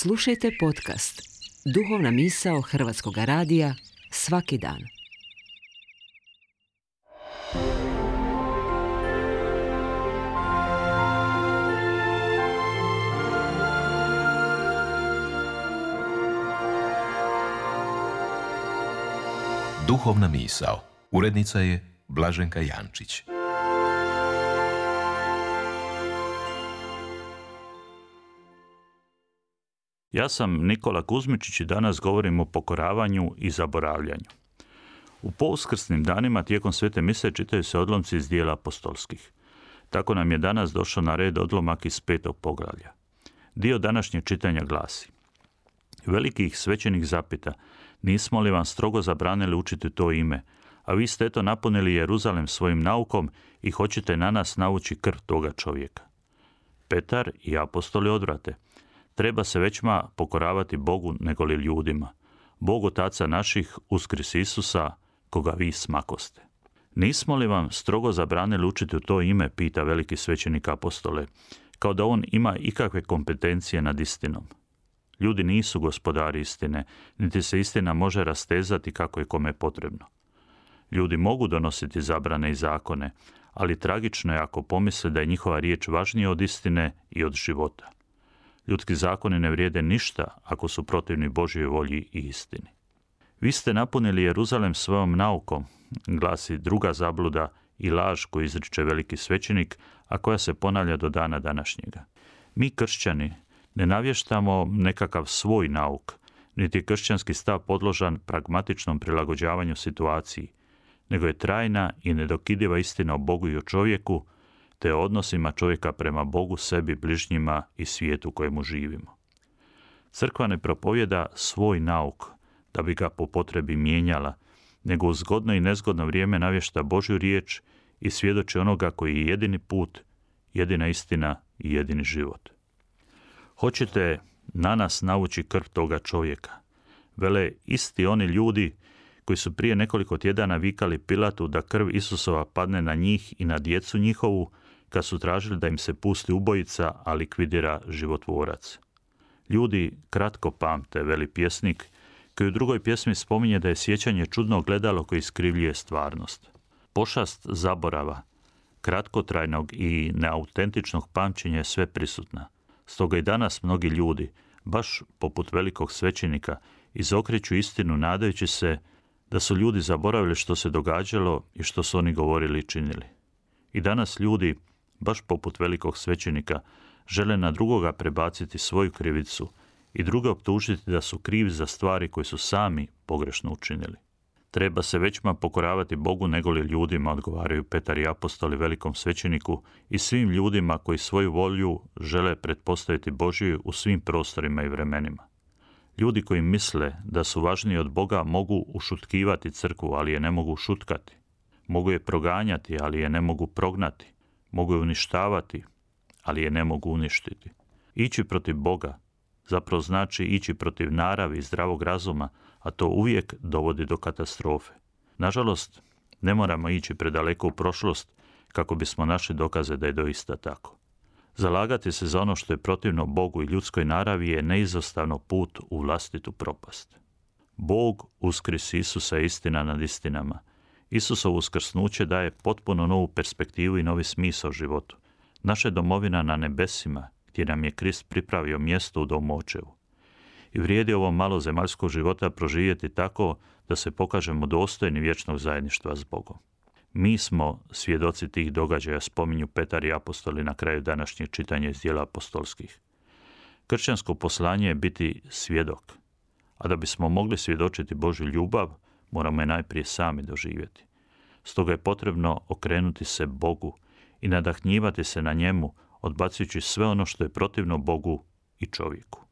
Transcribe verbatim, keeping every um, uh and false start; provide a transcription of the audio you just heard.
Slušajte podcast Duhovna misao Hrvatskog radija svaki dan. Duhovna misao. Urednica je Blaženka Jančić. Ja sam Nikola Kuzmičić i danas govorim o pokoravanju i zaboravljanju. U pouskrsnim danima tijekom svete mise čitaju se odlomci iz dijela apostolskih. Tako nam je danas došao na red odlomak iz petog poglavlja. Dio današnjeg čitanja glasi: Veliki ih svećenik zapita, nismo li vam strogo zabranili učiti to ime, a vi ste eto napunili Jeruzalem svojim naukom i hoćete na nas navući krv toga čovjeka. Petar i apostoli odvrate: Treba se većma pokoravati Bogu nego li ljudima. Bog otaca naših uskrs Isusa, koga vi smakoste. Nismo li vam strogo zabranili učiti u to ime, pita veliki svećenik apostole, kao da on ima ikakve kompetencije nad istinom. Ljudi nisu gospodari istine, niti se istina može rastezati kako je kome potrebno. Ljudi mogu donositi zabrane i zakone, ali tragično je ako pomisle da je njihova riječ važnija od istine i od života. Ljudski zakoni ne vrijede ništa ako su protivni Božjoj volji i istini. Vi ste napunili Jeruzalem svojom naukom, glasi druga zabluda i laž koju izriče veliki svećenik, a koja se ponavlja do dana današnjega. Mi kršćani ne navještamo nekakav svoj nauk, niti je kršćanski stav podložan pragmatičnom prilagođavanju situaciji, nego je trajna i nedokidiva istina o Bogu i o čovjeku, te o odnosima čovjeka prema Bogu, sebi, bližnjima i svijetu u kojemu živimo. Crkva ne propovjeda svoj nauk da bi ga po potrebi mijenjala, nego u zgodno i nezgodno vrijeme navješta Božju riječ i svjedoči onoga koji je jedini put, jedina istina i jedini život. Hoćete na nas navući krv toga čovjeka, vele isti oni ljudi koji su prije nekoliko tjedana vikali Pilatu da krv Isusova padne na njih i na djecu njihovu, kad su tražili da im se pusti ubojica, a likvidira životvorac. Ljudi kratko pamte, veli pjesnik, koji u drugoj pjesmi spominje da je sjećanje čudno gledalo koje iskrivljuje stvarnost. Pošast zaborava, kratkotrajnog i neautentičnog pamćenja je sve prisutna. Stoga i danas mnogi ljudi, baš poput velikog svećenika, izokreću istinu nadajući se da su ljudi zaboravili što se događalo i što su oni govorili i činili. I danas ljudi, baš poput velikog svećenika, žele na drugoga prebaciti svoju krivicu i druge optužiti da su krivi za stvari koje su sami pogrešno učinili. Treba se većma pokoravati Bogu nego li ljudima, odgovaraju Petar i apostoli velikom svećeniku i svim ljudima koji svoju volju žele pretpostaviti Božju u svim prostorima i vremenima. Ljudi koji misle da su važniji od Boga mogu ušutkivati crkvu, ali je ne mogu šutkati. Mogu je proganjati, ali je ne mogu prognati. Mogu je uništavati, ali je ne mogu uništiti. Ići protiv Boga zapravo znači ići protiv naravi i zdravog razuma, a to uvijek dovodi do katastrofe. Nažalost, ne moramo ići predaleko u prošlost kako bismo našli dokaze da je doista tako. Zalagati se za ono što je protivno Bogu i ljudskoj naravi je neizostavno put u vlastitu propast. Bog uskrs Isusa je istina nad istinama. Isusovo uskrsnuće daje potpuno novu perspektivu i novi smisao životu. Naša domovina na nebesima, gdje nam je Krist pripravio mjesto u domu Očevu. I vrijedi ovo malo zemaljskog života proživjeti tako da se pokažemo dostojni vječnog zajedništva s Bogom. Mi smo svjedoci tih događaja, spominju Petar i apostoli na kraju današnjeg čitanja iz dijela apostolskih. Kršćansko poslanje je biti svjedok, a da bismo mogli svjedočiti Božju ljubav, moramo je najprije sami doživjeti. Stoga je potrebno okrenuti se Bogu i nadahnjivati se na njemu, odbacujući sve ono što je protivno Bogu i čovjeku.